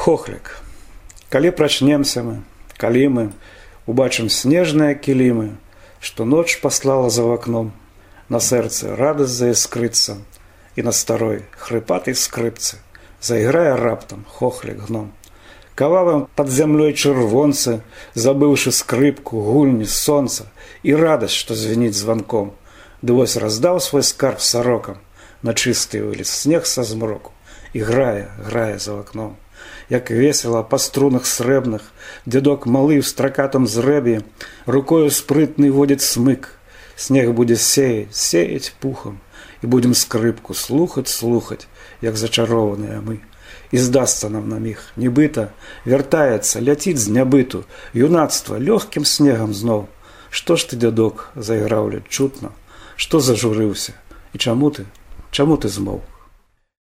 Хохлік. Калі прачнемся мы, калі мы убачым снежныя кілімы, што ноч паслала за вакном, на сэрцы радасць заіскрыцца, і на старой хрыпатай скрыпцы зайграе раптам хохлік гном. Кававым пад зямлёй чырвонцы, забыўшы скрыпку, гульні, сонца і радасць, што звініць званком, ды вось раздаў свой скарб сарокам на чысты вылез снег са змроку і грае за вакном. Як весела па струнах срэбных дзядок малы ў стракатам зрэбе рукою спрытны водзіць смык. Снег будзе сеяць пухам, і будзем скрыпку слухаць, як зачарованыя мы. І здасца нам на міг, нібыта вяртаецца, ляціць з нябыту юнацтва лёгкім снегам зноў. Што ж ты, дзядок, зайграў ледь чутна, што зажурыўся, і чаму ты змоў?